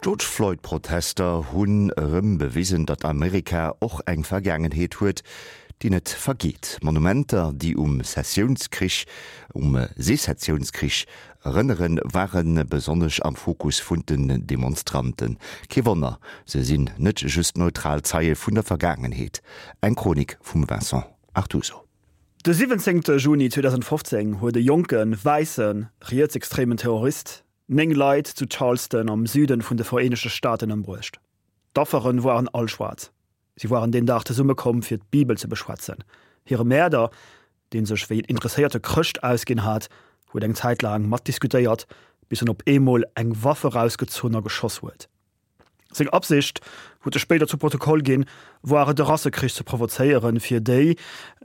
D'George Floyd Protester hunn erëm bewisen, datt Amerika och eng Vergaangenheet huet, déi net vergeet. Monumenter, déi um Sessiounskrich, um Sezessiounskrich erënneren, ware besonnesch am Fokus vun den Demonstranten. Kee Wonner, se sinn net just neutral Zeie vun der Vergaangenheet. Eng Chronik vum Vincent Artuso. De 17 Juni 2015 huet e jonke wäisse rietsextremen Terrorist 9 Leit zu Charleston am Süden vun de Vereenegte Staaten ëmbruecht. D'Afferen woaren all schwaarz. Si woaren deen Dag zesumme komm fir d'Bibel ze beschwätzen. Hire Mäerder, deen sech wéi en interesséierte Chrëscht ausginn hat, huet eng Zäit laang matdiskutéiert, bis en op eemol eng Waff erausgezunn a geschoss huet. Seng Absicht, huet e spéider zu Protokoll ginn, woar et e Rassekrich ze provozéieren, fir déi,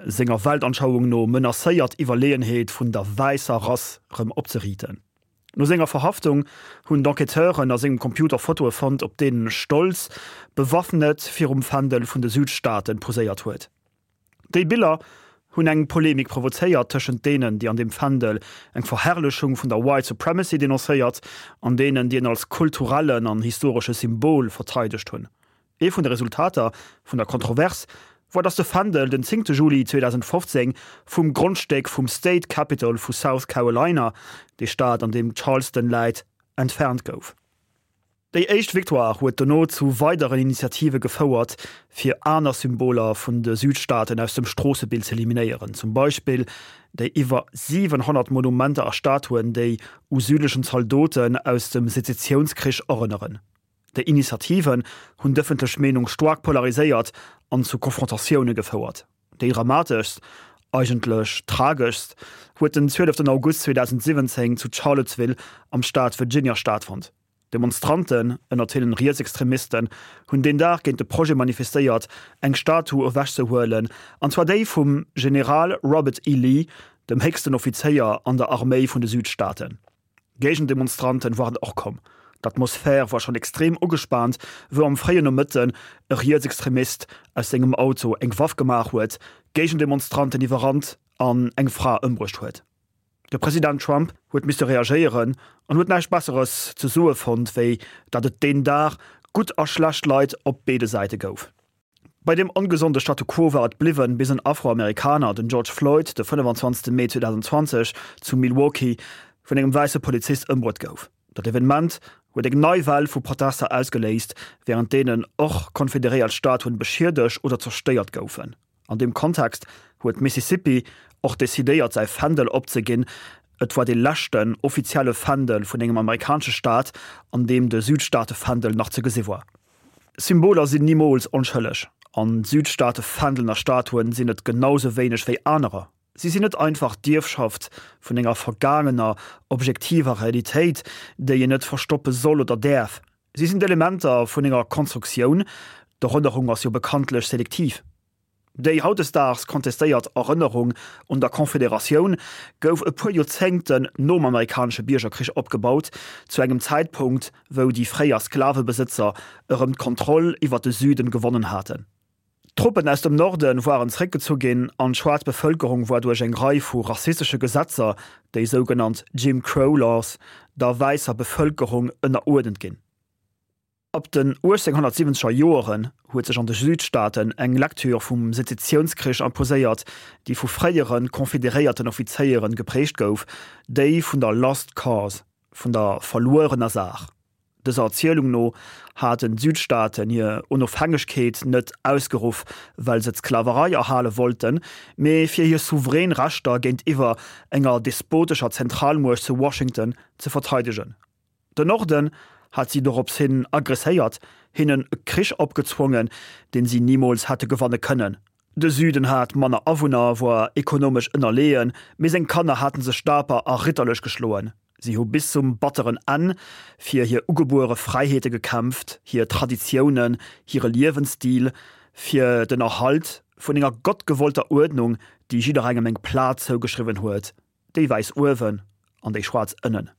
senger Weltanschauung no, menacéiert Iwwerleeënheet vun der wäisser Rass rëm opzeriiten. No senger Verhaftung hunn d'Enquêteuren a sengem Computer Fotoe fonnt, op deenen e stolz, bewaffnet virum Fändel vun de Südstaaten poséiert huet. Déi Biller hunn eng Polemik provozéiert tëschent deenen, déi an deem Fändel eng Verherrlechung vun der White Supremacy denoncéiert, an deenen, déi en als kulturellen an historesche Symbol verteidegt hunn. Ee vun de Resultater vun der Kontrovers war, datt de Fändel den 10 Juli 2015 vum Grondstéck vum State Capitol vu South Carolina, dee Staat an deem Charleston läit, entfernt gouf. Déi éischt Victoire huet dono zu weideren Initiative gefouert, fir aner Symboler vun de Südstaaten aus dem Stroossebild z'eliminéieren, zum Beispill déi iwwer 700 Monumenter a Statuen, déi u südlechen Zaldoten aus dem Sezessiounskrich erënneren. Déi Initiativen hunn d'ëffentlech Meenung staark polariséiert an zu Konfrontatioune gefouert. Déi dramateschst, eigentlech trageschst, huet den 12 August 2017 zu Charlottesville am Staat Virginia stattfonnt. Demonstranten, ënnert hinnen Rietsextremisten, hunn deen Dag géint de Projet manifestéiert, eng Statue ewechzehuelen, an zwar déi vum General Robert E. Lee, dem héchsten Offizéier an der Arméi vun de Südstaaten. Géigendemonstranten waren och komm. D'Atmosphär war schonn extrem ugespaant, wou am fréien Nomëtten e Rietsextremist aus sengem Auto eng Waff gemaach huet, Géigendemonstranten iwwerrannt an eng Fra ëmbruecht huet. De President Trump huet misste reagéieren an huet näischt Besseres ze soe fonnt, wéi dat et deen Dag gutt a schlecht Leit op béide Säite gouf. Bei deem ongesonde Statu quo war et bliwwen, bis en Afroamerikaner, den George Floyd, de 25 Mee 2020 zu Milwaukee vun engem wäisse Polizist ëmbruet gouf. Dat Evenement huet eng nei Well vu Protester ausgeléist, wärend deenen och konfederéiert Statuen beschiedegt oder zerstéiert goufen. An deem Kontext huet Mississippi och decidéiert säi Fändel opzeginn. Et war dee leschten offizielle Fändel vun engem amerikanesche Staat, an deem de Südstaatefändel nach ze gesi war. Symboler sinn nimools onschëlleg, an d'Südstaatefändelen a Statuen sinn et genau sou wéineg wéi anerer. Si sinn net einfach d'Ierfschaft vun enger vergaangener, objektiver Realitéit, déi een net verstoppe soll oder däerf. Si sinn d'Elementer vun enger Konstruktioun, d'Erënnerung ass jo bekanntlech selektiv. Déi hautdesdaags kontestéiert Erënnerung un der Confederatioun gouf e puer Joerzéngten nom amerikanesche Biergerkrich opgebaut, zu engem Zäitpunkt, wou déi fréier Sklavebesëtzer erëm d'Kontroll iwwer de Süden gewonnen haten. D'Truppen aus dem Norde waren zeréckgezu ginn an d'schwaarz Bevëlkerung war duerch eng Rei vu rassistesche Gesetzer, déi sougenannt Jim Crow Laws, der wäisser Bevëlkerung ënneruerdent ginn. Ab den 1870er Joeren huet sech an de Südstaaten eng Lektür vum Sezessiounskrich imposéiert, déi vu fréiere konfederéierten Offizéiere geprägt gouf, déi vun der Lost Cause, vun der verluerener Saach. Dëser Erzielung no haten d'Südstaaten hir Onofhängegkeet net ausgeruff, well se d'Sklaverei erhale wollten, mee fir hir souverän Rechter géintiwwer enger despotescher Zentralmuecht zu Washington ze verteidegen. Den Norden hat si dorops hin aggresséiert, hinnen e Krich opgezwongen, deen si nimools hätte gewanne kënnen. De Süden hat manner Awunner, woar ekonomesch ënnerleeën, mee seng Kanner haten sech daper a ritterlech geschloen. Si hu bis zum batteren Enn fir hir ugebuere Fräiheete gekämpft, hir Traditiounen, hire Liewensstil, fir den Erhalt vun enger gottgewollter Uerdnung, déi jidderengem eng Plaz zougeschriwwen huet, déi wäiss uewen an déi schwaarz ënnen.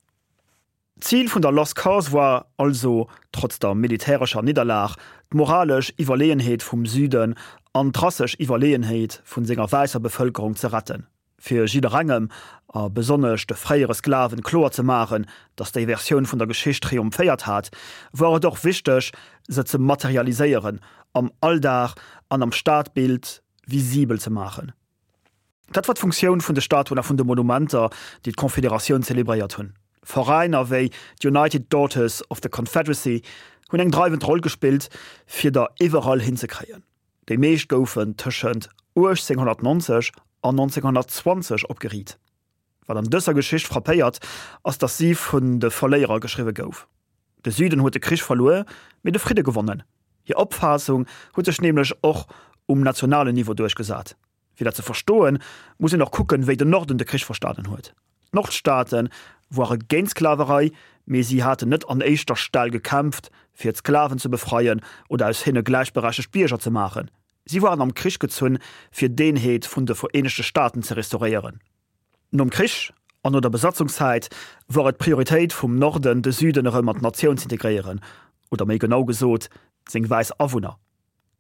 D'Zil vun der Lost Cause war also, trotz der militärescher Nidderlag, d'moralesch Iwwerleeënheet vum Süden an d'rassesch Iwwerleeënheet vun senger wäisser Bevëlkerung ze retten. Fir jidderengem, a besonnesch de fréiere Sklaven, kloer ze maachen, datt déi Versioun vun der Geschicht triumphéiert hat, wor et och wichteg, se ze materialiséieren, am Alldag an am Stadbild visibel ze maachen. Dat war d'Funktioun vun de Statuen a vun de Monumenter, déi d'Confederatioun zelebréiert hunn. Veräiner wéi d'United Daughters of the Confederacy hunn eng dreiwend Roll gespillt, fir der iwwerall hinzekréien. Déi meescht goufen tëschent 1890 an 1920 opgeriit. Wat an dëser Geschicht frappéiert, ass datt si vun de Verléierer geschriwwe gouf. De Süden huet de Krich verluer, mee de Fridde gewonnen. Hir Opfaassung huet sech nämlech och um nationalen Niveau duerchgesat. Fir dat ze verstoen, muss een och kucken, wéi den Norden de Krich verstanen huet. D'Nordstaate woare géint d'Sklaverei, mee si haten net an éischter Stell gekämpft, fir d'Sklaven ze befreien oder aus hinne gläichberechtegt Bierger ze maachen. Si woaren am Krich gezunn, fir d'Eenheet vun de Vereenegte Staaten ze restauréieren. Nom Krich an no der Besatzungszäit wor et d'Prioritéit vum Norden, de Süden erëm an d'Natioun z'integréieren, oder méi genau gesot, seng wäiss Awunner.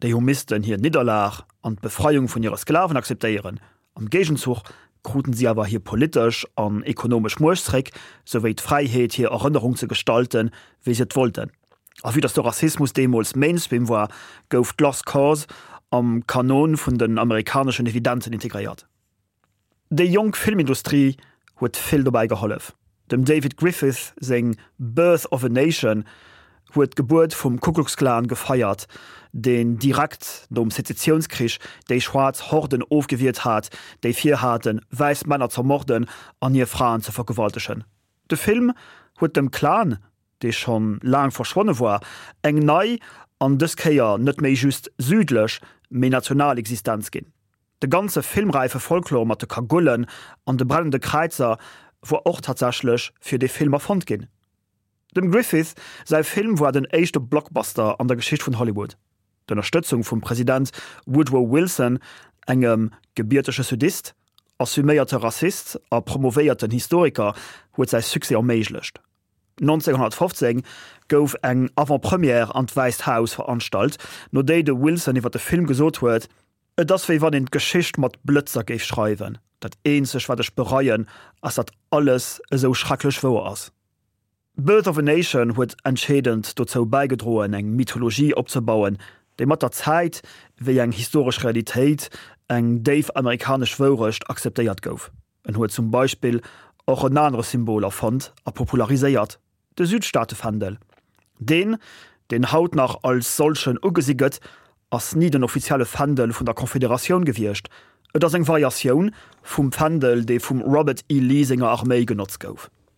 Déi hu missten hir Nidderlag an d'Befreiung vun hire Sklaven akzeptéieren. Am Géigenzuch kruten si awer hir politesch an ekonomesch Muecht zréck, souwéi d'Fräiheet hir Erënnerung ze gestalten, wéi se et wollten. A vue datt de Rassismus deemools Mainstream war, gouf d'Lost Cause am Kanon vun den amerikaneschen Evidenzen integréiert. Déi jonk Filmindustrie huet vill dobäi gehollef. Dem David Griffith seng Birth of a Nation huet d'Gebuert vum Ku Klux Klan gefeiert, deen direkt nom Sezessiounskrich déi schwaarz Horden ofgewiert hat, déi virhaten, wäiss Männer z'ermorden an hir Fraen ze vergewaltegen. De Film huet dem Klan, dee schonn laang verschwonne war, eng nei an dës Kéier net méi just südlech, mee national Existenz ginn. De ganze filmräife Folklor mat de Kagullen an de brennende Kräizer wor och tatsächlech fir dee Film erfonnt ginn. Dem Griffith säi Film war den éischte Blockbuster an der Geschicht vun Hollywood. D'Ënnerstëtzung vum President Woodrow Wilson, engem gebiertege Sudist, assuméierte Rassist a promovéierten Historiker, huet säi Succès erméiglecht. 1915 gouf eng Avant-Première an d'Wäisst Haus veranstalt, no déi de Wilson iwwer de Film gesot huet, Et ass wéi wann een d'Geschicht mat Blëtzer géif schreiwen. Dat eenzeg wat ech bereien, ass datt alles esou schrecklech wouer ass. Birth of a Nation huet entscheedend dozou bäigedroen eng Mythologie opzebauen, déi mat der Zäit wéi eng historesch Realitéit, eng déif amerikanesch Wourecht akzeptéiert gouf. En huet zum Beispill och en anere Symbol erfonnt a populariséiert, De Südstaatefändel. Deen, deen haut nach als solchen ugesi gëtt, ass ni den offizielle Fändel vun der Confederatioun gewiescht. Et ass eng Variatioun vum Fändel, dee vum Robert E. Lee senger Arméi genotzt gouf.